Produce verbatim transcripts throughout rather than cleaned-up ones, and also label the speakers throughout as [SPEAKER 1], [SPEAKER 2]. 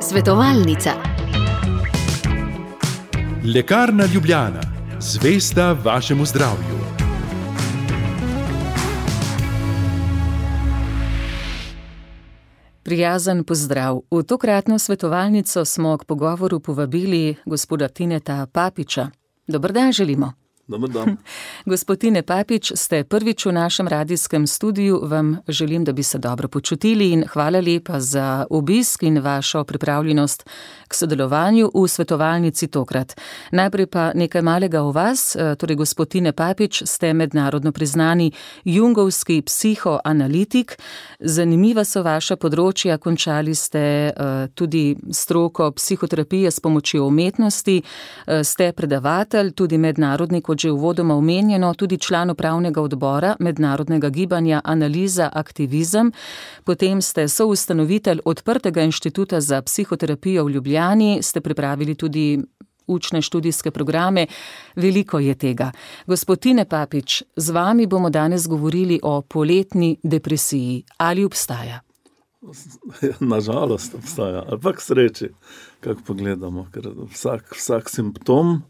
[SPEAKER 1] Svetovalnica.
[SPEAKER 2] Lekarna Ljubljana, zvesta vašemu zdravju.
[SPEAKER 3] Prijazen pozdrav. V tokratno svetovalnico smo k pogovoru povabili gospoda Tineta Papiča. Dober dan želimo.
[SPEAKER 4] Dober dan.
[SPEAKER 3] Gospod Tine Papič, ste prvič v našem radijskem studiu, vam želim, da bi se dobro počutili in hvala lepa za obisk in vašo pripravljenost k sodelovanju v svetovalnici tokrat. Najprej pa nekaj malega o vas, torej gospod Tine Papič, ste mednarodno priznani jungovski psihoanalitik. Zanimiva so vaša področja, končali ste uh, tudi stroko psihoterapije s pomočjo umetnosti, uh, ste predavatelj, tudi mednarodni, kot že uvodoma omenjeno, tudi član upravnega odbora mednarodnega gibanja Analiza Aktivizem. Potem ste soustanovitelj Odprtega inštituta za psihoterapijo v Ljubljani, ste pripravili tudi učne študijske programe. Veliko je tega. Gospod Tine Papič, z vami bomo danes govorili o poletni depresiji. Ali obstaja?
[SPEAKER 4] Nažalost obstaja, ali pa k sreči, kako pogledamo, ker vsak, vsak simptom,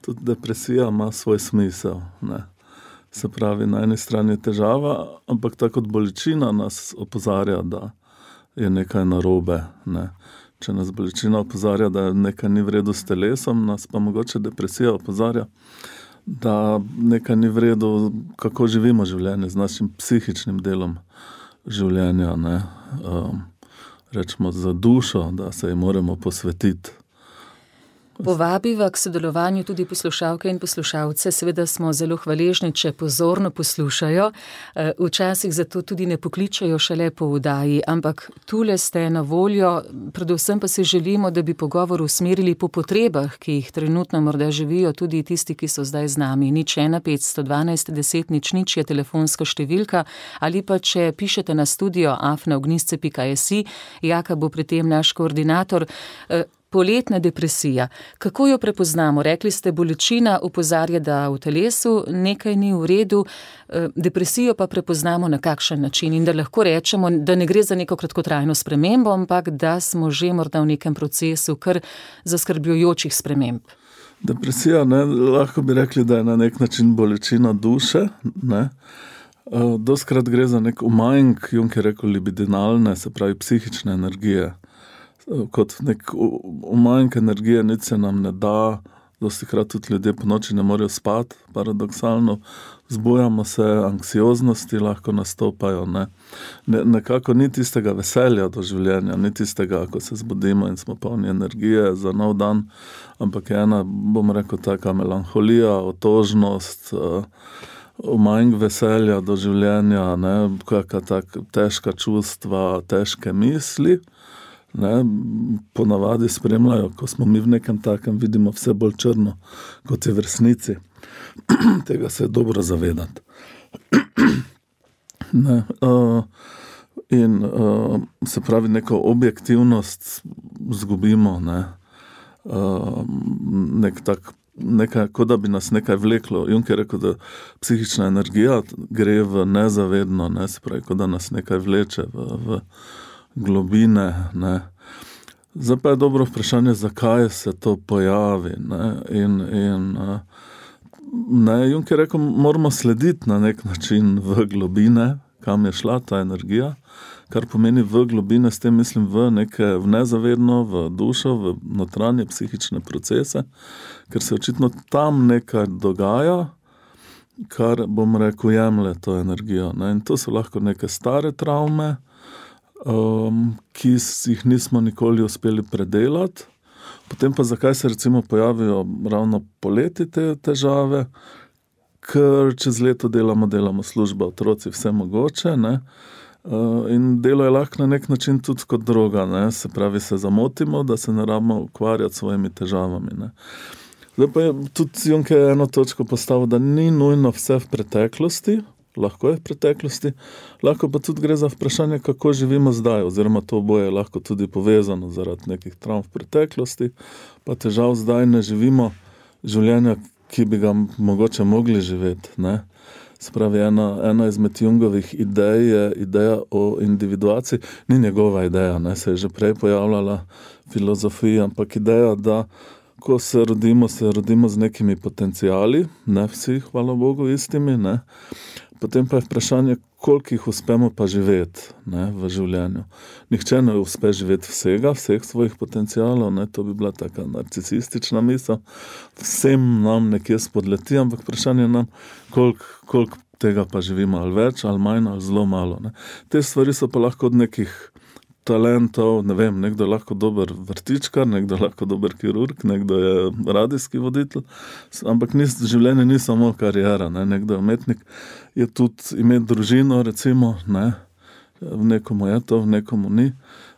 [SPEAKER 4] tudi depresija ima svoj smisel. Ne. Se pravi, na eni strani je težava, ampak tako kot bolečina nas opozarja, da je nekaj narobe. Ne. Če nas bolečina opozarja, da nekaj ni v redu s telesom, nas pa mogoče depresija opozarja, da nekaj ni v redu, kako živimo življenje, z našim psihičnim delom življenja. Ne. Um, rečemo za dušo, da se ji moramo posvetiti.
[SPEAKER 3] Povabiva k sodelovanju tudi poslušalke in poslušalce. Seveda smo zelo hvaležni, če pozorno poslušajo. Včasih zato tudi ne pokličajo šele po vdaji, ampak tule ste na voljo. Predvsem pa si želimo, da bi pogovor usmerili po potrebah, ki jih trenutno morda živijo tudi tisti, ki so zdaj z nami. Nič ena petsto dvanajst deset nič nič je telefonska številka, ali pa če pišete na studio afna ognjisce pika si, Jaka bo pri tem naš koordinator. Poletna depresija. Kako jo prepoznamo? Rekli ste, bolečina opozarja, da v telesu nekaj ni v redu, depresijo pa prepoznamo na kakšen način in da lahko rečemo, da ne gre za neko kratkotrajno spremembo, ampak da smo že morda v nekem procesu kar zaskrbljujočih sprememb.
[SPEAKER 4] Depresija, ne, lahko bi rekli, da je na nek način bolečina duše. Ne. Doskrat gre za nek umanjk, Jung je rekel libidinalne, se pravi psihične energije. Kot nek umanjk energije, nič se nam ne da, dostikrat tudi ljudje po noči ne morejo spati, paradoksalno, zbujamo se, anksioznosti lahko nastopajo, ne. Ne, nekako ni tistega veselja do življenja, ni tistega, ko se zbudimo in smo polni energije za nov dan, ampak je ena, bom rekel, taka melanholija, otožnost, umanjk veselja do življenja, ne, kakšna taka težka čustva, težke misli. Ne, ponavadi spremljajo, ko smo mi v nekem takem, vidimo vse bolj črno, kot je v resnici. Tega se je dobro zavedati. Ne, uh, in uh, se pravi, neko objektivnost zgubimo, ne, uh, nek tak, nekaj, kot da bi nas nekaj vleklo. Jung je rekel, da psihična energija gre v nezavedno, ne, se pravi, kot da nas nekaj vleče v, v globine, ne. Zdaj pa je dobro vprašanje, zakaj se to pojavi, ne, in, in ne, Jung je rekel, moramo slediti na nek način v globine, kam je šla ta energija, kar pomeni v globine, s tem mislim v neke, v nezavedno, v dušo, v notranje psihične procese, ker se očitno tam nekaj dogaja, kar, bom rekel, jemlje to energijo, ne, in to so lahko neke stare travme, Um, ki jih nismo nikoli uspeli predelati. Potem pa zakaj se recimo pojavijo ravno poleti te težave, ker čez leto delamo, delamo služba, otroci, vse mogoče, ne. Uh, in delo je lahko na nek način tudi kot droga, ne. Se pravi, se zamotimo, da se ne rabimo ukvarjati s svojimi težavami, ne. Zdaj pa je tudi Jung je eno točko postavil, da ni nujno vse v preteklosti, lahko je v preteklosti, lahko pa tudi gre za vprašanje, kako živimo zdaj, oziroma to oboje je lahko tudi povezano zaradi nekih travm v preteklosti, pa težav zdaj ne živimo življenja, ki bi ga mogoče mogli živeti, ne. Spravi, ena, ena izmed Jungovih idej je ideja o individuaciji. Ni njegova ideja, ne, se je že prej pojavljala filozofija, ampak ideja, da ko se rodimo, se rodimo z nekimi potencijali, ne vsi, hvala Bogu, istimi, ne. Potem pa je vprašanje, koliko jih uspemo pa živeti, ne, v življenju. Nihče ne uspe živeti vsega, vseh svojih potencialov, ne, to bi bila taka narcisistična misel. Vsem nam nekje spodleti, ampak vprašanje nam, koliko, koliko tega pa živimo, ali več, ali manj, ali zelo malo, ne. Te stvari so pa lahko od nekih talentov, ne vem, nekdo je lahko dober vrtičkar, nekdo je lahko dober kirurg, nekdo je radijski voditelj, ampak ni, življenje ni samo karijera, ne, nekdo je umetnik, je tudi imeti družino, recimo, ne, v nekomu je to, v nekomu ni.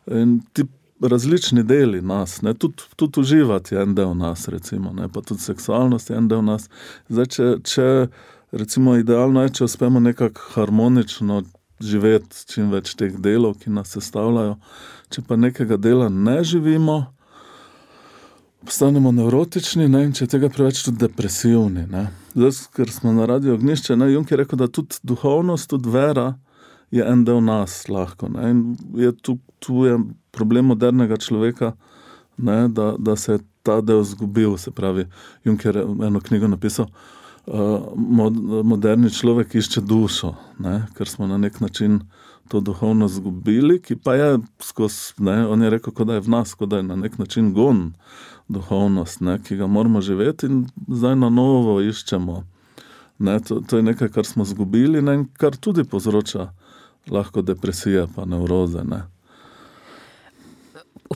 [SPEAKER 4] In ti različni deli nas, ne, tudi, tudi uživati je en del nas, recimo, ne, pa tudi seksualnost je en del nas. Zdaj, če, če recimo idealno je, če uspemo nekako harmonično živeti čim več teh delov, ki nas sestavljajo. Če pa nekega dela ne živimo, postanemo nevrotični, ne, in če tega preveč tudi depresivni, ne. Zdaj, ker smo na Radiu Ognjišče, ne, Jung je rekel, da tudi duhovnost, tudi vera je en del nas lahko, ne, in je tu, tu je problem modernega človeka, ne, da, da se je ta del zgubil, se pravi, Jung je eno knjigo napisal, Uh, mod, moderni človek išče dušo, ne, ker smo na nek način to duhovno zgubili, ki pa je skozi, ne, on je rekel, kot da je v nas, kot da je na nek način gon duhovnost, ne, ki ga moramo živeti in zdaj na novo iščemo. Ne, to, to je nekaj, kar smo zgubili, ne, in kar tudi povzroča lahko depresije pa nevroze, ne.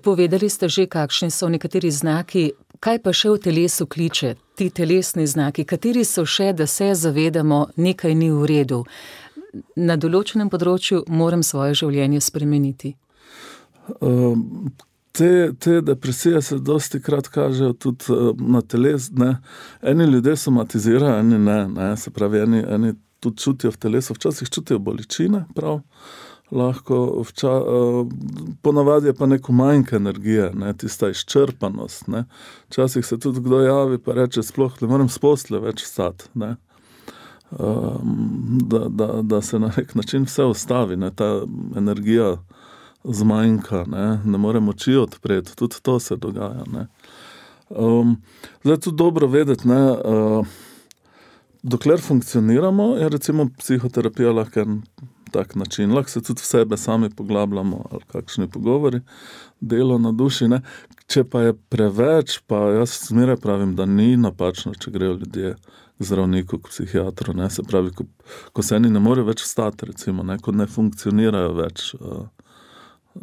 [SPEAKER 3] Povedali ste že, kakšni so nekateri znaki, kaj pa še v telesu kliče, ti telesni znaki, kateri so še, da se zavedamo, nekaj ni v redu. Na določenem področju moram svoje življenje spremeniti.
[SPEAKER 4] Um, te, te depresije se dosti krat kažejo tudi uh, na teles, ne. Eni ljudje somatizirajo, eni ne, ne, se pravi, eni, eni tudi čutijo v telesu, včasih čutijo bolečine, prav. Lahko, vča, uh, ponavadi je pa neko manjka energije, ne, tista izčrpanost, ne. Včasih se tudi kdo javi pa reče, sploh ne morem s posle več vstati, ne. Um, da, da, da se na nek način vse ustavi, ne, ta energija zmanjka, ne, ne morem oči odpreti, tudi to se dogaja, ne. Um, zdaj tudi dobro vedeti, ne, uh, dokler funkcioniramo, je recimo psihoterapija lahko en tak način, lahko se tudi v sebe sami poglabljamo, ali kakšni pogovori, delo na duši, ne. Če pa je preveč, pa jaz zmeraj pravim, da ni napačno, če grejo ljudje k zdravniku, k psihiatru, ne, se pravi, ko, ko se eni ne more več vstati, recimo, ne, ko ne funkcionirajo več,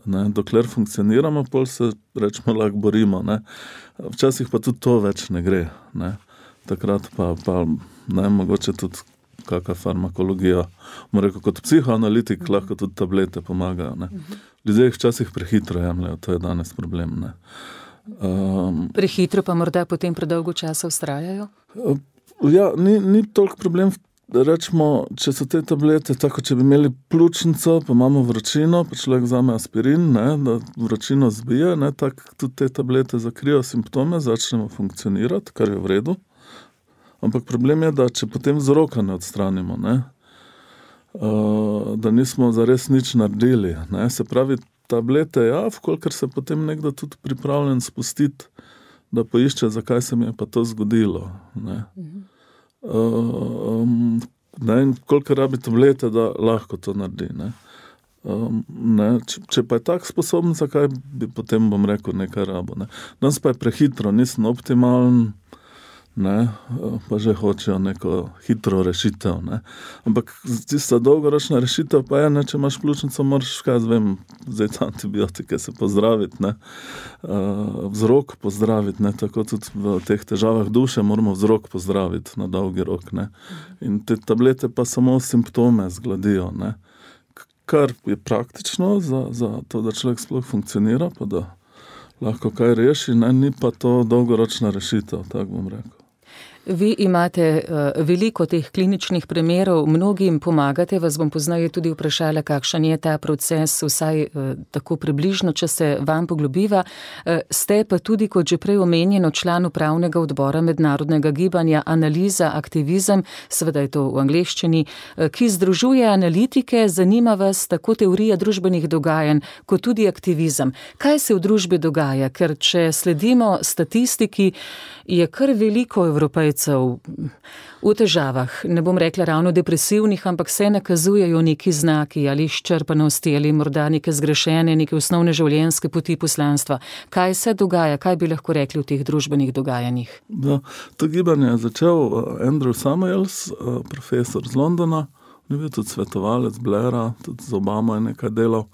[SPEAKER 4] ne, dokler funkcioniramo, pol se, rečemo, lahko borimo, ne. Včasih pa tudi to več ne gre, ne. Takrat pa, pa ne, mogoče tudi kakšna farmakologija, moram rekel, kot psihoanalitik lahko tudi tablete pomagajo, ne. Ljudje jih včasih prehitro jemljajo, to je danes problem, ne. Um,
[SPEAKER 3] prehitro pa morda potem predolgo časa vztrajajo?
[SPEAKER 4] Ja, ni, ni toliko problem, rečemo, če so te tablete, tako če bi imeli pljučnico, pa imamo vročino, pa človek vzame aspirin, ne, da vročino zbije, ne, tako tudi te tablete zakrijo simptome, začnemo funkcionirati, kar je v redu. Ampak problem je, da če potem vzroka ne odstranimo, ne, uh, da nismo zares nič naredili, ne, se pravi, tablete, ja, vkolikor se potem nekdo tudi pripravljen spustiti, da poišče, zakaj se mi je pa to zgodilo, ne. Uh, um, ne, in kolikor rabi tablete, da lahko to naredi, ne. Um, ne, če, če pa je tak sposoben, zakaj bi potem, bom rekel, nekaj rabo, ne. Danes pa je prehitro, nisem optimalen, ne, pa že hočejo neko hitro rešitev, ne. Ampak tista dolgoročna rešitev pa je, ne, če imaš pljučnico, moraš, kaj vem, vzeti antibiotike, se pozdraviti, ne, uh, vzrok pozdraviti, ne, tako tudi v teh težavah duše moramo vzrok pozdraviti na dolgi rok, ne. In te tablete pa samo simptome zgladijo, ne, kar je praktično za, za to, da človek sploh funkcionira, pa da lahko kaj reši, ne, ni pa to dolgoročna rešitev, tako bom rekel.
[SPEAKER 3] Vi imate uh, veliko teh kliničnih primerov, mnogim pomagate, vas bom poznaje tudi vprašala, kakšen je ta proces, vsaj uh, tako približno, če se vam poglobiva. Uh, ste pa tudi, kot že prej omenjeno, član upravnega odbora mednarodnega gibanja Analiza, aktivizem, seveda je to v angleščini, uh, ki združuje analitike, zanima vas tako teorija družbenih dogajanj, kot tudi aktivizem. Kaj se v družbi dogaja? Ker če sledimo statistiki, je kar veliko Evropejcev v težavah, ne bom rekla ravno depresivnih, ampak se nakazujejo neki znaki ali izčrpanosti ali morda neke zgrešene, neke osnovne življenjske poti poslanstva. Kaj se dogaja, kaj bi lahko rekli v teh družbenih dogajanjih?
[SPEAKER 4] Da, to gibanje je začel Andrew Samuels, profesor z Londona, on je bil tudi svetovalec Blaira, tudi z Obamo je nekaj delal,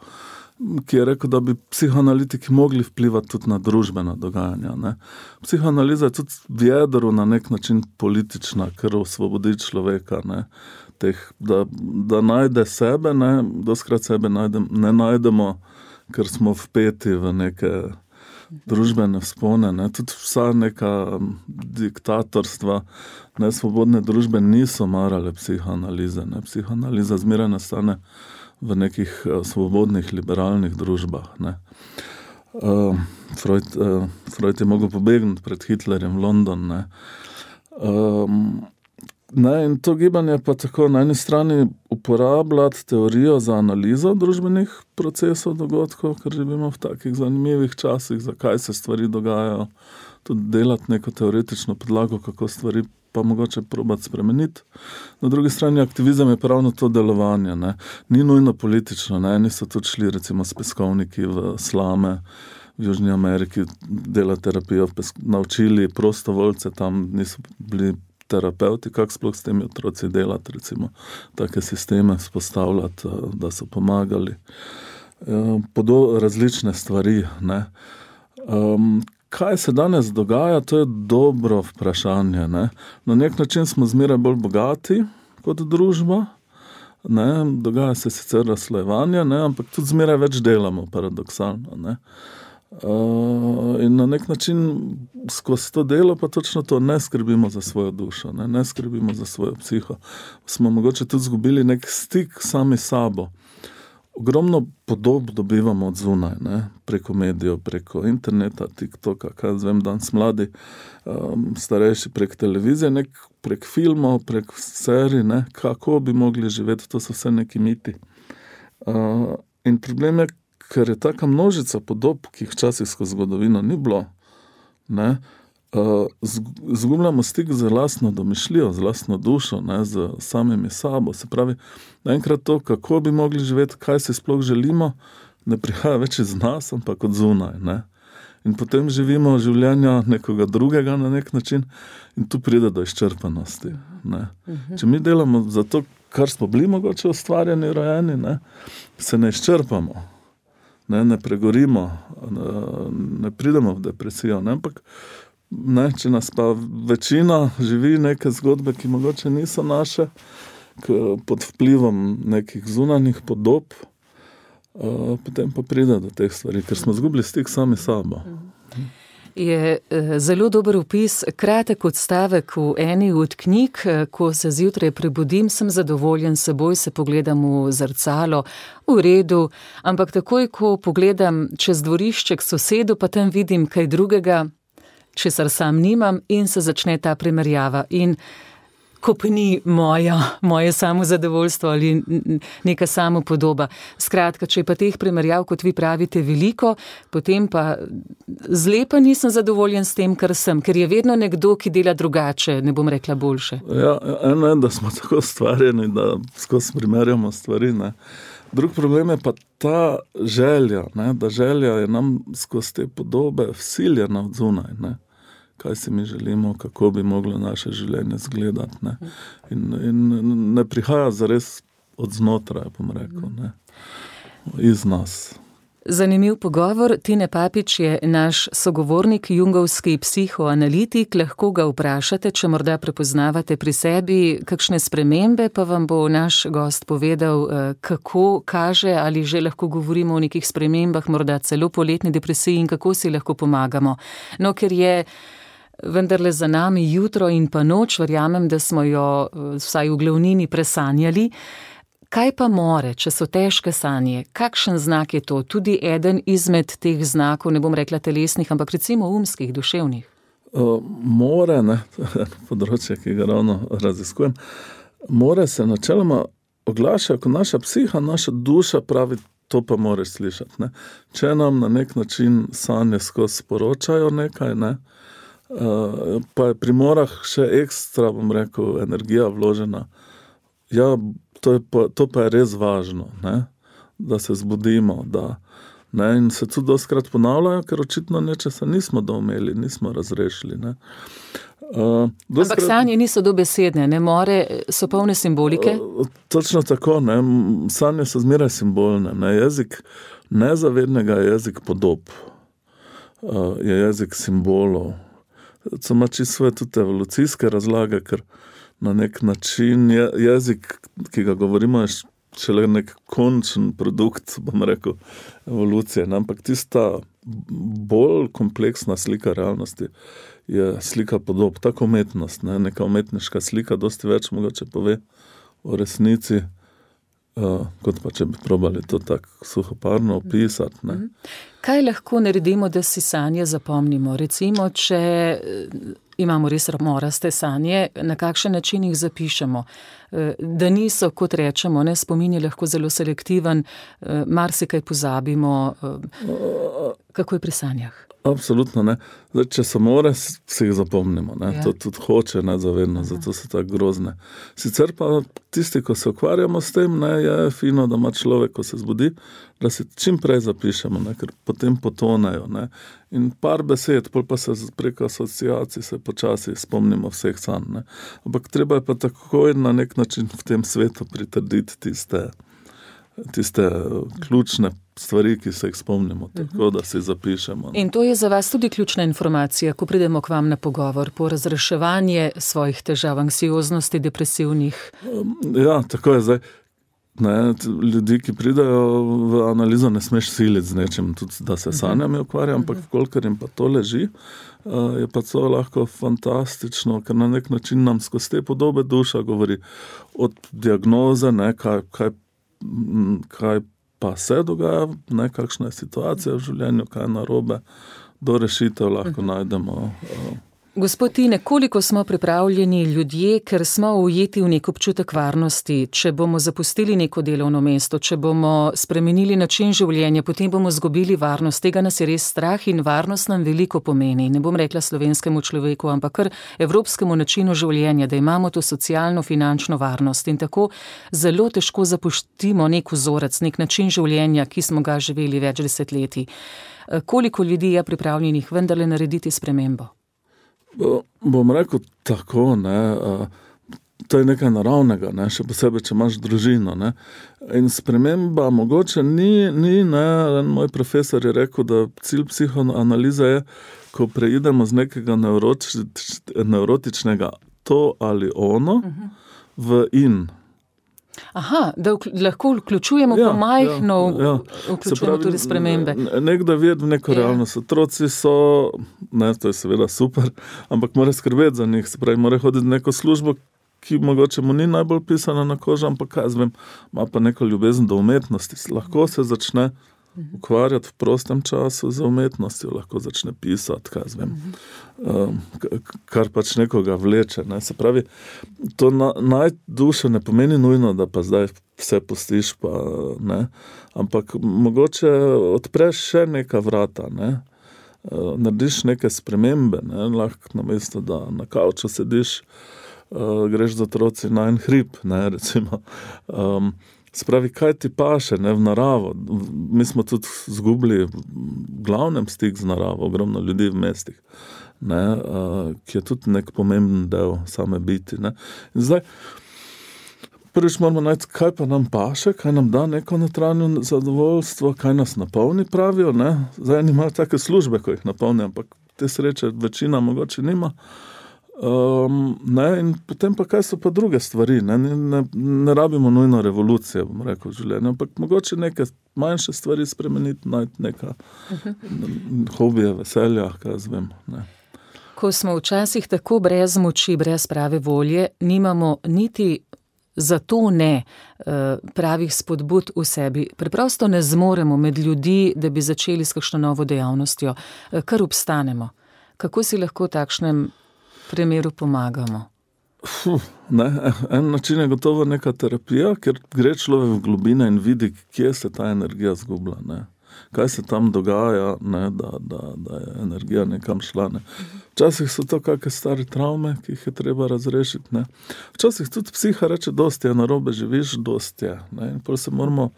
[SPEAKER 4] ki je rekel, da bi psihoanalitiki mogli vplivati tudi na družbena dogajanja. Ne. Psihoanaliza je tudi v jedru na nek način politična, ker osvobodi človeka, ne. Teh, da, da najde sebe, ne, doskrat sebe najdem, ne najdemo, ker smo vpeti v neke družbene vzpone. Ne. Tudi vsa neka diktatorstva, nesvobodne družbe niso marale psihoanalize. Ne. Psihoanaliza zmeraj nastane v nekih uh, svobodnih, liberalnih družbah. Ne. Uh, Freud, uh, Freud je mogel pobegniti pred Hitlerjem v London. Ne. Um, ne, in to gibanje pa tako na eni strani uporabljati teorijo za analizo družbenih procesov, dogodkov, ker živimo v takih zanimivih časih, zakaj se stvari dogajajo, tudi delati neko teoretično podlago, kako stvari pa mogoče probati spremeniti. Na drugi strani aktivizem je pravno to delovanje. Ne. Ni nujno politično. Ne. Eni so tudi šli recimo s peskovniki v slame v Južni Ameriki, delati terapijo, naučili prostovoljce, tam niso bili terapeuti, kako sploh s temi otroci delati, recimo take sisteme vzpostavljati, da so pomagali. Podo različne stvari. Ne. Um, Kaj se danes dogaja, to je dobro vprašanje. Ne? Na nek način smo zmeraj bolj bogati kot družba, ne? Dogaja se sicer razslojevanje, ne? Ampak tudi zmeraj več delamo, paradoksalno. Ne? Uh, in na nek način skozi to delo pa točno to ne skrbimo za svojo dušo, ne, ne skrbimo za svojo psiho. Smo mogoče tudi zgubili nek stik sami sabo. Ogromno podob dobivamo od zunaj, ne? Preko medijev, preko interneta, TikToka, kaj zvem, danes mladi, um, starejši prek televizije, nek, prek filmov, prek serij, ne? Kako bi mogli živeti, to so vse neki miti. Uh, in problem je, ker je taka množica podob, ki jih včasih skozi zgodovino ni bilo, ne? Uh, zgubljamo stik z lastno domišljijo, z lastno dušo, ne, z samimi sabo. Se pravi, naenkrat to, kako bi mogli živeti, kaj si sploh želimo, ne prihaja več iz nas, ampak od zunaj. Ne. In potem živimo življenja nekoga drugega na nek način in tu pride do izčrpanosti. Ne. Če mi delamo za to, kar smo bili mogoče ustvarjeni, rojeni, ne, se ne izčrpamo, ne, ne pregorimo, ne, ne pridemo v depresijo, ne, ampak ne, če nas pa večina živi neke zgodbe, ki mogoče niso naše, pod vplivom nekih zunanjih podob, uh, potem pa pride do teh stvari, ker smo zgubili stik sami sabo.
[SPEAKER 3] Je zelo dober opis, kratek odstavek v eni od knjig, ko se zjutraj prebudim, sem zadovoljen s seboj, se pogledam v zrcalo, v redu, ampak takoj, ko pogledam čez dvorišče k sosedu, pa tam vidim kaj drugega, česar sam nimam in se začne ta primerjava in kopni moja, moje samozadovoljstvo ali neka samopodoba. Skratka, če je pa teh primerjav, kot vi pravite, veliko, potem pa zlepa nisem zadovoljen s tem, kar sem, ker je vedno nekdo, ki dela drugače, ne bom rekla boljše.
[SPEAKER 4] Ja, eno je, da smo tako stvarjeni, da skozi primerjamo stvari, ne. Drug problem je pa ta želja, ne, da želja je nam skozi te podobe vsiljena od zunaj, ne. Kaj si mi želimo, kako bi moglo naše življenje izgledati, ne. In, in ne prihaja zares od znotraj, bom rekel, ne. Iz nas.
[SPEAKER 3] Zanimiv pogovor. Tine Papič je naš sogovornik, jungovski psihoanalitik. Lahko ga vprašate, če morda prepoznavate pri sebi kakšne spremembe, pa vam bo naš gost povedal, kako kaže ali že lahko govorimo o nekih spremembah, morda celo poletni depresiji in kako si lahko pomagamo. No, ker je vendarle za nami jutro in pa noč, verjamem, da smo jo vsaj v glavnini presanjali. Kaj pa more, če so težke sanje? Kakšen znak je to? Tudi eden izmed teh znakov, ne bom rekla telesnih, ampak recimo umskih, duševnih.
[SPEAKER 4] Uh, more, ne, področje, ki ga ravno raziskujem, more se načeloma oglaša, ko naša psiha, naša duša pravi, to pa moraš slišati. Ne. Če nam na nek način sanje skozi sporočajo nekaj, ne, uh, pa je pri morah še ekstra, bom rekel, energija vložena. Ja, To, je pa, to pa je res važno, ne? Da se zbudimo, da, ne? In se tudi dostikrat ponavljajo, ker očitno nečesa nismo doumeli, nismo razrešili. Ne? Uh,
[SPEAKER 3] dostikrat, Ampak sanje niso dobesedne, ne more, so polne simbolike?
[SPEAKER 4] Uh, točno tako, ne? Sanje so zmeraj simbolne. Ne? Jezik nezavednega je jezik podob, uh, je jezik simbolov. To ima čisto svoje tudi evolucijske razlage, ker na nek način je, jezik, ki ga govorimo, je šele nek končen produkt, bom rekel, evolucije. Ne? Ampak tista bolj kompleksna slika realnosti je slika podob, tako umetnost, ne? Neka umetniška slika, dosti več mogoče pove o resnici, uh, kot pa če bi probali to tako suhoparno opisati. Ne?
[SPEAKER 3] Kaj lahko naredimo, da si sanje zapomnimo? Recimo, če imamo res moraste sanje, na kakšen način jih zapišemo. Da niso, kot rečemo, ne, spomin je lahko zelo selektiven, marsikaj pozabimo. Kako je pri sanjah?
[SPEAKER 4] Absolutno ne. Zdaj, če so more, si jih zapomnimo. Ne. Ja. To tudi hoče nezavedno, zato so tako grozne. Sicer pa tisti, ko se ukvarjamo s tem, ne, je fino, da ima človek, ko se zbudi, da si čim prej zapišemo, ne, ker potem potonejo. Ne. In par besed, pol pa se preko asociacij se počasi spomnimo vseh sanj. Ne. Ampak treba je pa takoj na nek način v tem svetu pritrditi tiste tiste ključne stvari, ki se jih spomnimo, tako da si zapišemo.
[SPEAKER 3] In to je za vas tudi ključna informacija, ko pridemo k vam na pogovor, po razreševanje svojih težav, anksioznosti, depresivnih?
[SPEAKER 4] Ja, tako je zdaj. Ne, ljudi, ki pridajo v analizo, ne smeš siliti z nečim, tudi da se sanjami ukvarja, ampak kolikor jim pa to leži, je pa to lahko fantastično, ker na nek način nam skozi te podobe duša govori od diagnoze, ne, kaj, kaj kaj pa se dogaja, ne, kakšna je situacija v življenju, kaj je narobe, do rešitev lahko najdemo.
[SPEAKER 3] Gospod Tine, koliko smo pripravljeni ljudje, ker smo ujeti v nek občutek varnosti, če bomo zapustili neko delovno mesto, če bomo spremenili način življenja, potem bomo zgubili varnost. Tega nas je res strah in varnost nam veliko pomeni. Ne bom rekla slovenskemu človeku, ampak kar evropskemu načinu življenja, da imamo to socialno, finančno varnost in tako zelo težko zapustimo nek vzorec, nek način življenja, ki smo ga živeli več desetletij. Koliko ljudi je pripravljenih vendarle narediti spremembo?
[SPEAKER 4] Bom rekel tako, ne, to je nekaj naravnega, ne, še posebej, če imaš družino. Ne. In sprememba mogoče ni, ni ne, moj profesor je rekel, da cilj psihoanalize je, ko preidemo z nekega nevrotič, nevrotičnega to ali ono v in.
[SPEAKER 3] Aha, da vkl- lahko vključujemo ja, pa majhno, ja, ja. vključujemo pravi, tudi spremembe.
[SPEAKER 4] Nekdo vidi v neko ja. realnost. Otroci so, ne, to je seveda super, ampak mora skrbeti za njih. Se pravi, mora hoditi v neko službo, ki mogoče mu ni najbolj pisana na kožo, ampak kaj zvem, ima pa neko ljubezen do umetnosti. Lahko se začne ukvarjati v prostem času za umetnostjo, lahko začne pisati, kaj zvem, um, kar pač nekoga vleče. Ne. Se pravi, to na, najduše ne pomeni nujno, da pa zdaj vse pustiš, pa ne, ampak mogoče odpreš še neka vrata, ne. Uh, narediš neke spremembe, ne. Lahko namesto, da na kavču sediš, uh, greš z otroci na en hrib, ne, recimo. Um, Spravi, kaj ti paše, ne, v naravo. Mi smo tudi zgubili v glavnem stik z naravo, ogromno ljudi v mestih, ne, uh, ki je tudi nek pomemben del same biti. Ne. In zdaj, prvič moramo najti, kaj pa nam paše, kaj nam da neko notranjo zadovoljstvo, kaj nas napolni, pravijo. Ne. Zdaj nimajo take službe, ko jih napolni, ampak te sreče večina mogoče nima. Um, ne, in potem pa kaj so pa druge stvari, ne, ne, ne rabimo nujno revolucije, bom rekel, v življenju, ampak mogoče neke manjše stvari spremeniti, najti neka uh-huh. hobije, veselja, kaj zvem, ne.
[SPEAKER 3] Ko smo včasih tako brez moči, brez prave volje, nimamo niti zato ne pravih spodbud v sebi. Preprosto ne zmoremo med ljudi, da bi začeli s kakšno novo dejavnostjo, kar obstanemo. Kako si lahko v takšnem primeru pomagamo?
[SPEAKER 4] Fuh, ne, en način je gotovo neka terapija, ker gre človek v globine in vidi, kje se ta energija zgubla, ne. Kaj se tam dogaja, ne, da, da, da je energija nekam šla. Ne. Včasih so to kakšne stare travme, ki jih je treba razrešiti. Ne. Včasih tudi psiha reče, dosti je narobe, živiš, dosti je. Ne. In potem se moramo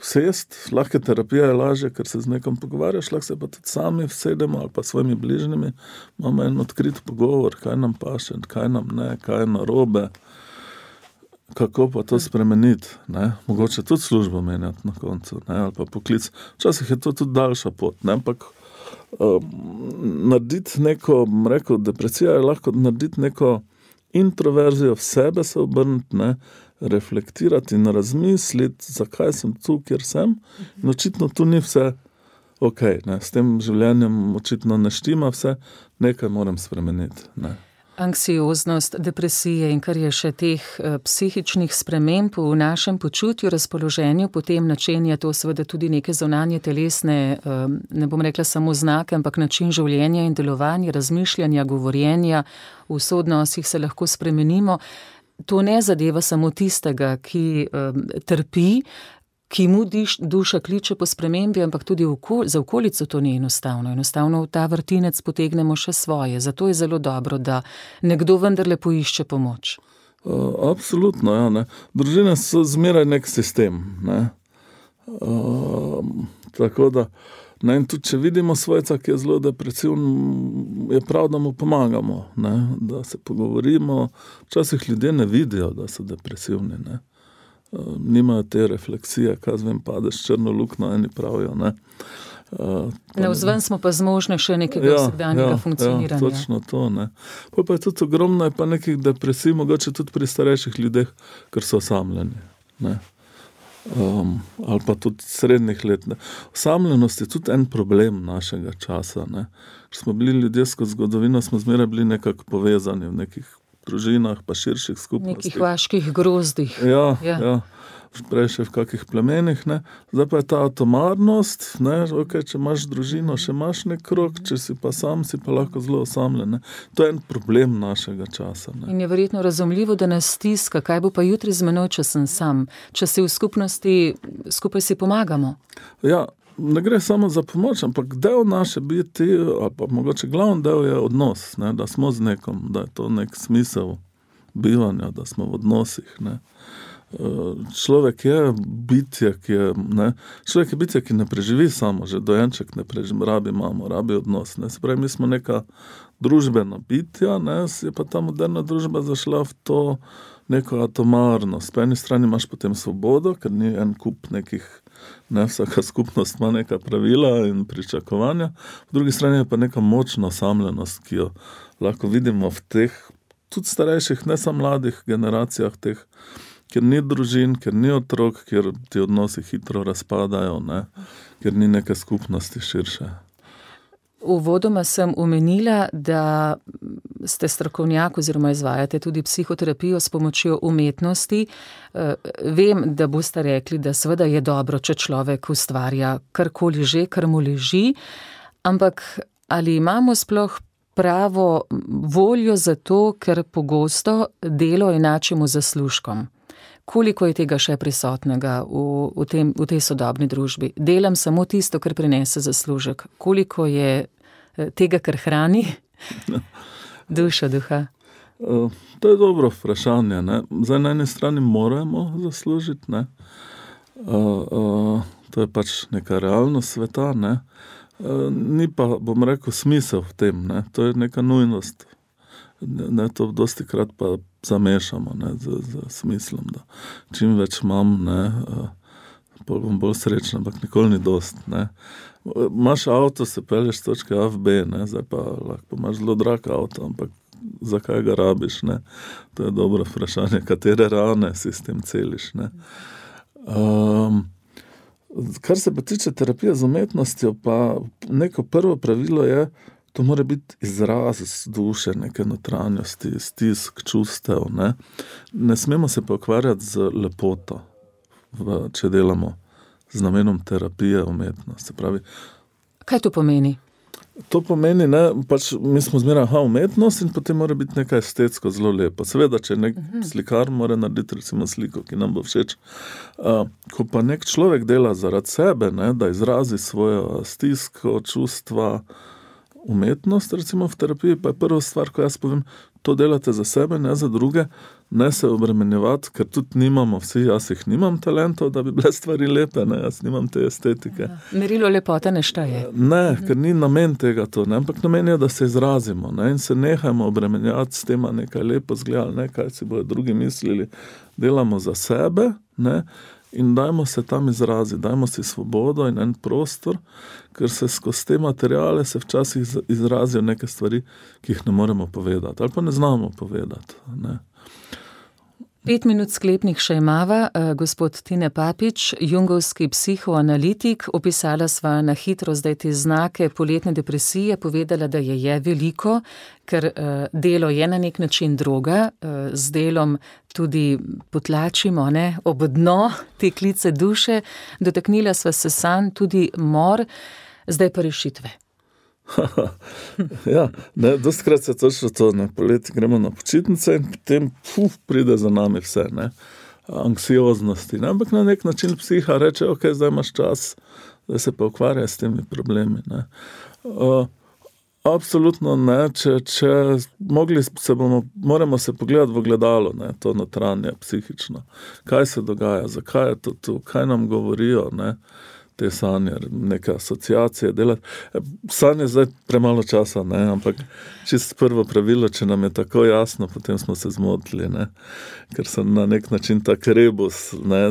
[SPEAKER 4] vsest, lahko terapija je lažje, ker se z nekom pogovarjaš, lahko se pa tudi sami vsedemo ali pa svojimi bližnjimi, imamo en odkrit pogovor, kaj nam paše, kaj nam ne, kaj je narobe, kako pa to spremeniti, ne, mogoče tudi službo menjati na koncu, ne, ali pa poklic. Včasih je to tudi daljša pot, ne, ampak um, narediti neko, rekel, depresija je lahko narediti neko introverzijo, v sebe se obrniti, ne, reflektirati in razmisliti, zakaj sem tu, kjer sem. In očitno tu ni vse ok, ne, s tem življenjem očitno ne štima vse, nekaj moram spremeniti, ne.
[SPEAKER 3] Anksioznost, depresije in kar je še teh psihičnih sprememb v našem počutju, razpoloženju, potem načenja to seveda tudi neke zunanje telesne, ne bom rekla samo znake, ampak način življenja in delovanja, razmišljanja, govorjenja, v soodnosih se lahko spremenimo. To ne zadeva samo tistega, ki um, trpi, ki mu diš, duša kliče po spremembi, ampak tudi okol, za okolico to ni enostavno. Enostavno v ta vrtinec potegnemo še svoje. Zato je zelo dobro, da nekdo vendarle poišče pomoč.
[SPEAKER 4] Uh, absolutno, ja. Ne. Družine so zmeraj nek sistem. Ne. Uh, tako da, ne, in tudi če vidimo svojca, ki je zelo depresiven, je prav, da mu pomagamo, ne, da se pogovorimo. Včasih ljudje ne vidijo, da so depresivni, ne. Uh, nimajo te refleksije, kaj zvem, padeš črno luknjo, eni pravijo, ne. Uh,
[SPEAKER 3] Navzven smo pa zmožni še nekega
[SPEAKER 4] ja,
[SPEAKER 3] vsakdanjega
[SPEAKER 4] ja,
[SPEAKER 3] funkcioniranja.
[SPEAKER 4] Ja, točno to, ne. Pa, pa je tudi ogromno je pa nekih depresij, mogoče tudi pri starejših ljudeh, ker so osamljeni, ne. Um, ali pa tudi srednjih let. Ne. Osamljenost je tudi en problem našega časa. Ne. Ker smo bili ljudje skozi zgodovino, smo zmeraj bili nekako povezani v nekih družinah, pa širših skupnostih.
[SPEAKER 3] Nekih vaških grozdih.
[SPEAKER 4] Ja,
[SPEAKER 3] ja.
[SPEAKER 4] ja. Prej še v kakih plemenih, ne. Zdaj pa je ta atomarnost, ne, ok, če imaš družino, še imaš nek krog, če si pa sam, si pa lahko zelo osamljen, ne. To je en problem našega časa, ne.
[SPEAKER 3] In je verjetno razumljivo, da nas stiska, kaj bo pa jutri z menoj, če sem sam, če si v skupnosti, skupaj si pomagamo.
[SPEAKER 4] Ja, ne gre samo za pomoč, ampak del naše biti, ali pa mogoče glavni del je odnos, ne, da smo z nekom, da je to nek smisel bivanja, da smo v odnosih, ne. Človek je bitje, ki je, ne, človek je bitje, ki ne preživi samo, že dojenček ne preživi, rabi mamo, rabi odnos, ne, se pravi, mi smo neka družbena bitja, ne, je pa ta moderna družba zašla v to neko atomarnost. Po eni strani imaš potem svobodo, ker ni en kup nekih, ne, vsaka skupnost ima neka pravila in pričakovanja, v drugi strani je pa neka močna osamljenost, ki jo lahko vidimo v teh, tudi starejših, ne samo mladih generacijah teh, ker ni družin, ker ni otrok, ker ti odnosi hitro razpadajo, ne, ker ni neke skupnosti širše.
[SPEAKER 3] Uvodoma sem omenila, da ste strokovnjak oziroma izvajate tudi psihoterapijo s pomočjo umetnosti. Vem, da boste rekli, da seveda je dobro, če človek ustvarja karkoli že, kar mu leži, ampak ali imamo sploh pravo voljo za to, ker pogosto delo enačimo z zaslužkom? Koliko je tega še prisotnega v, v, tem, v tej sodobni družbi? Delam samo tisto, kar prinese zaslužek. Koliko je tega, kar hrani dušo, duha?
[SPEAKER 4] Uh, to je dobro vprašanje, ne. Zdaj, na eni strani moramo zaslužiti, ne. Uh, uh, to je pač neka realnost sveta, ne. Uh, ni pa, bom rekel, smisel v tem, ne. To je neka nujnost. Ne, to dosti krat pa zamešamo, ne, z, z smislom, da čim več imam, ne, pol bom bolj srečen, ampak nikoli ni dost, ne. Imaš avto, se pelješ z točke A v B, ne, zdaj pa lahko imaš zelo drag avto, ampak zakaj ga rabiš, ne. To je dobro vprašanje, katere rane si s tem celiš, ne. Um, kar se pa tiče terapije z umetnostjo, pa neko prvo pravilo je, to mora biti izraz duše, neke notranjosti, stisk, čustev, ne. Ne smemo se pa ukvarjati z lepoto, v, če delamo z namenom terapije umetnost. Se pravi,
[SPEAKER 3] kaj to pomeni?
[SPEAKER 4] To pomeni, ne, pač mi smo zmeraj, aha, umetnost in potem mora biti nekaj estetsko zelo lepo. Seveda, če nek uh-huh. slikar mora narediti recimo sliko, ki nam bo všeč. Uh, ko pa nek človek dela zaradi sebe, ne, da izrazi svojo stisko, čustva, umetnost, recimo v terapiji, pa je prva stvar, ko jaz povem, to delate za sebe, ne za druge, ne se obremenjevati, ker tudi nimamo vsi, jaz jih nimam talentov, da bi bile stvari lepe, ne, jaz nimam te estetike.
[SPEAKER 3] Ja. Merilo lepote ne šteje.
[SPEAKER 4] Ne, ker ni namen tega to, ne, ampak namen je, da se izrazimo, ne, in se nehajmo obremenjati s tema nekaj lepo zgledali, ne, kaj si bojo drugi mislili, delamo za sebe, ne, in dajmo se tam izraziti, dajmo si svobodo in en prostor, ker se skozi te materiale se včasih izrazijo neke stvari, ki jih ne moremo povedati, ali pa ne znamo povedati, ne.
[SPEAKER 3] Pet minut sklepnih še imava, gospod Tine Papič, jungovski psihoanalitik, opisala sva na hitro zdaj te znake poletne depresije, povedala, da je je veliko, ker delo je na nek način droga, z delom tudi potlačimo, ne, ob dno te klice duše, dotaknila sva se sanj, tudi mor, zdaj pa rešitve.
[SPEAKER 4] Ja, ne, dostikrat se točno to, ne, poleti gremo na počitnice in potem puf, pride za nami vse, ne, anksioznosti, ne, ampak na nek način psiha reče, ok, zdaj imaš čas, da se pa ukvarja s temi problemi, ne. Uh, absolutno ne, če, če mogli se bomo, moramo se pogledati v ogledalo, ne, to notranje, psihično, kaj se dogaja, zakaj je to tu, kaj nam govorijo, ne, te sanje, neke asociacije delati. Sanje zdaj premalo časa, ne, ampak čisto prvo pravilo, če nam je tako jasno, potem smo se zmotili, ne, ker so na nek način tak rebus, ne,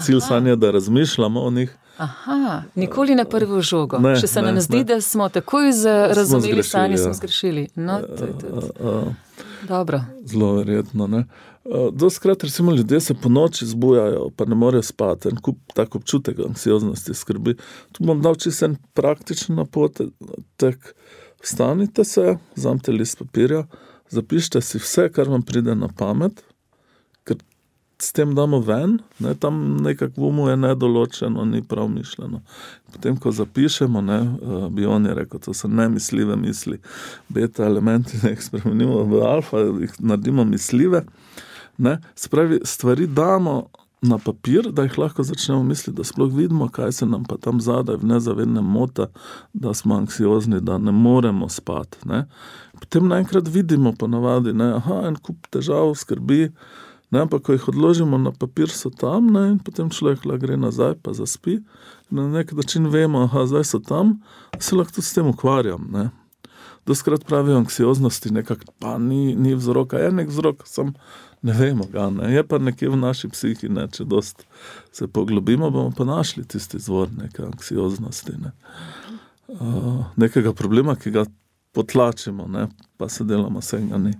[SPEAKER 4] cilj sanje, da razmišljamo o njih.
[SPEAKER 3] Aha, nikoli na prvo žogo.
[SPEAKER 4] Ne,
[SPEAKER 3] Če se
[SPEAKER 4] ne,
[SPEAKER 3] nam zdi,
[SPEAKER 4] ne.
[SPEAKER 3] da smo takoj razumeli sanje,
[SPEAKER 4] ja.
[SPEAKER 3] smo zgrešili. No, to je tudi.
[SPEAKER 4] Uh, uh,
[SPEAKER 3] Dobro.
[SPEAKER 4] Zelo verjetno, ne. Uh, dostikrat recimo ljudje se po noči zbujajo, pa ne morejo spati, en kup tak občutek anksioznosti, skrbi. Tu bom dal čisto en praktičen napotek. Vstanite se, vzamite list papirja, zapišite si vse, kar vam pride na pamet, ker s tem damo ven, ne, tam nekak v umu je nedoločeno, ni prav mišljeno. Potem, ko zapišemo, ne, bi on je rekel, to so nemisljive misli, beta elementi, ne jih spremenimo v alfa, jih naredimo misljive, ne, spravi, stvari damo na papir, da jih lahko začnemo misliti, da sploh vidimo, kaj se nam pa tam zadaj v nezavednem mota, da smo anksiozni, da ne moremo spati, ne. Potem naenkrat vidimo ponavadi, ne, aha, en kup težav, skrbi, ne, ampak ko jih odložimo na papir, so tam, ne, in potem človek lahko gre nazaj, pa zaspi, na nek način vemo, aha, zdaj so tam, se lahko tudi s tem ukvarjam, ne. Dostikrat pravijo anksioznosti, nekak, pa ni, ni vzroka, je nek vzrok, sam ne vemo ga, ne, je pa nekje v naši psihi, ne, če dost se poglobimo, bomo pa našli tisti izvor neke anksioznosti, ne. Uh, nekega problema, ki ga potlačimo, ne, pa se delamo, se ga ni.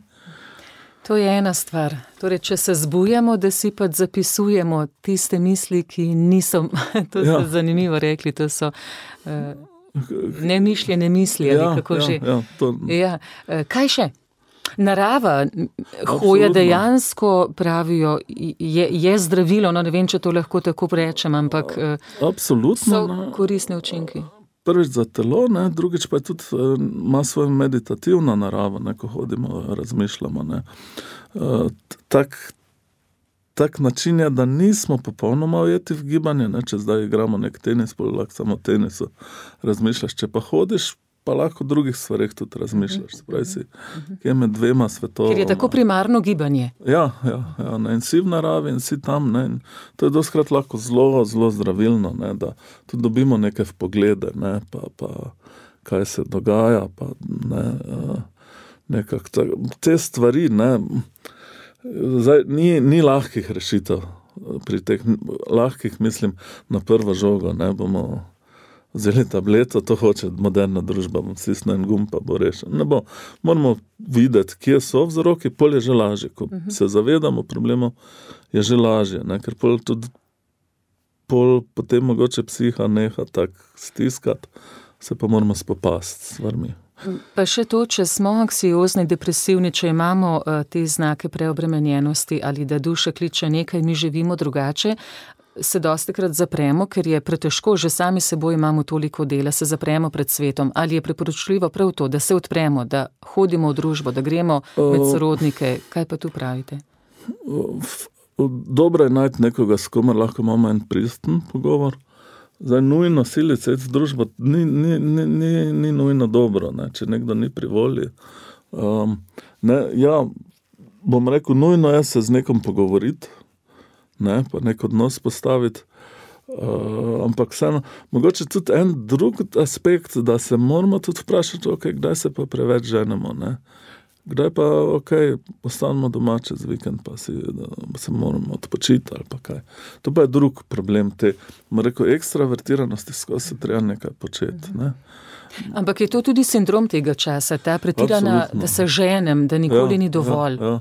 [SPEAKER 3] To je ena stvar. Torej, če se zbujamo, da si pa zapisujemo tiste misli, ki niso, to ja. So zanimivo rekli, to so uh, nemišljene misli, ali
[SPEAKER 4] ja,
[SPEAKER 3] kako
[SPEAKER 4] ja,
[SPEAKER 3] že.
[SPEAKER 4] Ja, to...
[SPEAKER 3] ja. uh, kaj še? Narava, hoja dejansko, pravijo, je, je zdravilo, no ne vem, če to lahko tako rečem, ampak
[SPEAKER 4] absolutno,
[SPEAKER 3] so koristne učinki.
[SPEAKER 4] Prvič za telo, ne, drugič pa je tudi, ima svojo meditativno naravo, ne, ko hodimo, razmišljamo, ne. Tak, tak način je, da nismo popolnoma ujeti v gibanje, ne, če zdaj igramo nek tenis, pa lahko samo tenisu razmišljaš, če pa hodiš, pa lahko o drugih stvareh tudi razmišljaš, spravi si, kje med dvema svetovama.
[SPEAKER 3] Ker je tako primarno gibanje.
[SPEAKER 4] Ja, ja, ja, ne, in si v naravi in si tam, ne, in to je dostikrat lahko zelo, zelo zdravilno, ne, da tudi dobimo neke vpoglede, ne, pa, pa kaj se dogaja, pa ne, nekak, te stvari, ne, zdaj, ni, ni lahkih rešitev, pri teh lahkih, mislim, na prvo žogo, ne, bomo vzeli tableto, to hoče moderna družba, bom stisnil en gumb, pa bo rešen. Ne bo, moramo videti, kje so vzroki, pol je že lažje. Ko uh-huh. se zavedamo problemov, je že lažje, ne? Ker pol tudi pol potem mogoče psiha neha tak stiskati, se pa moramo spopasti s stvarmi.
[SPEAKER 3] Pa še to, če smo anksiozni, depresivni, če imamo uh, te znake preobremenjenosti ali da duša kliče nekaj, mi živimo drugače, se dostikrat zapremo, ker je pretežko, že sami seboj imamo toliko dela, se zapremo pred svetom. Ali je priporočljivo prav to, da se odpremo, da hodimo v družbo, da gremo med sorodnike? Kaj pa tu pravite?
[SPEAKER 4] Dobro je najti nekoga, s komer lahko imamo en prijazen pogovor. Zdaj, nujno silice v družbo ni, ni, ni, ni, ni nujno dobro, ne? Če nekdo ni pri volji. Um, ne, ja, bom rekel, nujno je se z nekom pogovoriti, ne, pa nek odnos postaviti, uh, ampak vseeno, mogoče tudi en drug aspekt, da se moramo tudi vprašati, ok, kdaj se pa preveč ženemo, ne, kdaj pa, ok, postanemo doma čez vikend, pa si, da se moramo odpočiti ali pa kaj. To pa je drug problem te, bom rekel, ekstravertiranosti, skozi se treba nekaj početi, ne.
[SPEAKER 3] Ampak je to tudi sindrom tega časa, ta pretirana, absolutno, da se ženem, da nikoli ja, ni dovolj.
[SPEAKER 4] Ja, ja.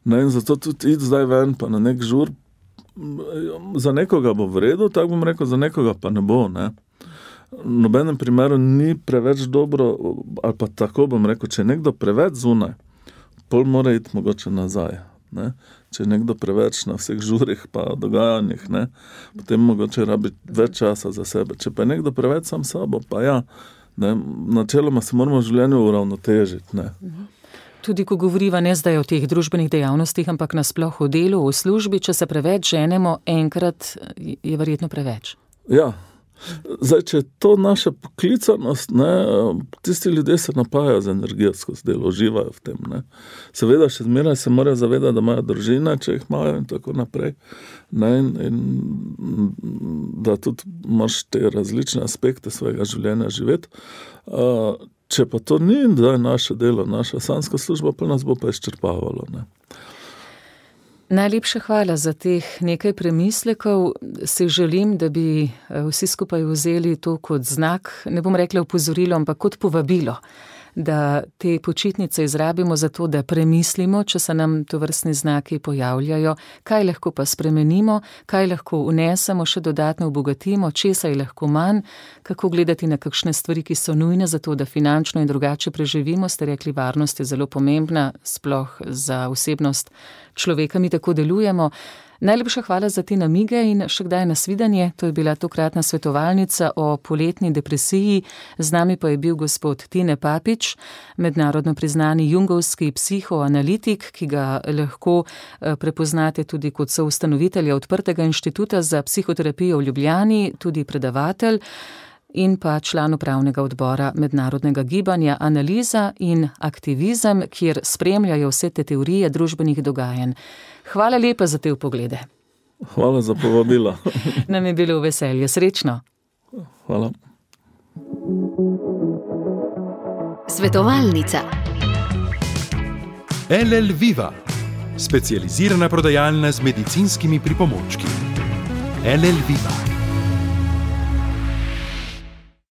[SPEAKER 4] Ne, in zato tudi iti zdaj ven, pa na nek žur, za nekoga bo v redu, tako bom rekel, za nekoga pa ne bo, ne. V nobenem primeru ni preveč dobro, ali pa tako bom rekel, če je nekdo preveč zunaj, pol mora iti mogoče nazaj, ne. Če je nekdo preveč na vseh žurih pa dogajanjih, ne, potem mogoče rabi več časa za sebe. Če pa je nekdo preveč sam sabo, pa ja, ne, načeloma se moramo v življenju uravnotežiti, ne.
[SPEAKER 3] Tudi ko govoriva ne zdaj o teh družbenih dejavnostih, ampak nasploh o delu, o službi, če se preveč ženemo, enkrat je verjetno preveč.
[SPEAKER 4] Ja, zdaj, če je to naša poklicanost, ne, tisti ljudje se napajajo z energijo skozi delo, uživajo v tem, ne. Seveda še zmeraj se morajo zavedati, da imajo družine, če jih imajo in tako naprej, ne, in, in da tudi moraš te različne aspekte svojega življenja živeti. Uh, Če pa to ni da je naše delo, naša sanska služba, pa nas bo pa izčrpavalo, ne.
[SPEAKER 3] Najlepša hvala za teh nekaj premislekov. Si želim, da bi vsi skupaj vzeli to kot znak, ne bom rekla opozorilo, ampak kot povabilo, da te počitnice izrabimo za to, da premislimo, če se nam tovrstni znaki pojavljajo, kaj lahko pa spremenimo, kaj lahko vnesemo, še dodatno obogatimo, česa je lahko manj, kako gledati na kakšne stvari, ki so nujne za to, da finančno in drugače preživimo. Ste rekli, varnost je zelo pomembna, sploh za osebnost človeka, mi tako delujemo. Najlepša hvala za te namige in še kdaj nasvidenje. To je bila tokratna svetovalnica o poletni depresiji. Z nami pa je bil gospod Tine Papič, mednarodno priznani jungovski psihoanalitik, ki ga lahko prepoznate tudi kot soustanovitelja Odprtega inštituta za psihoterapijo v Ljubljani, tudi predavatelj in pa član upravnega odbora mednarodnega gibanja Analiza in aktivizem, kjer spremljajo vse te teorije družbenih dogajanj. Hvala lepa za te vpoglede.
[SPEAKER 4] Hvala za povabilo.
[SPEAKER 3] Nam je bilo veselje. Srečno.
[SPEAKER 4] Hvala.
[SPEAKER 1] Svetovalnica.
[SPEAKER 2] L L Viva, specializirana prodajalna z medicinskimi pripomočki. L L Viva.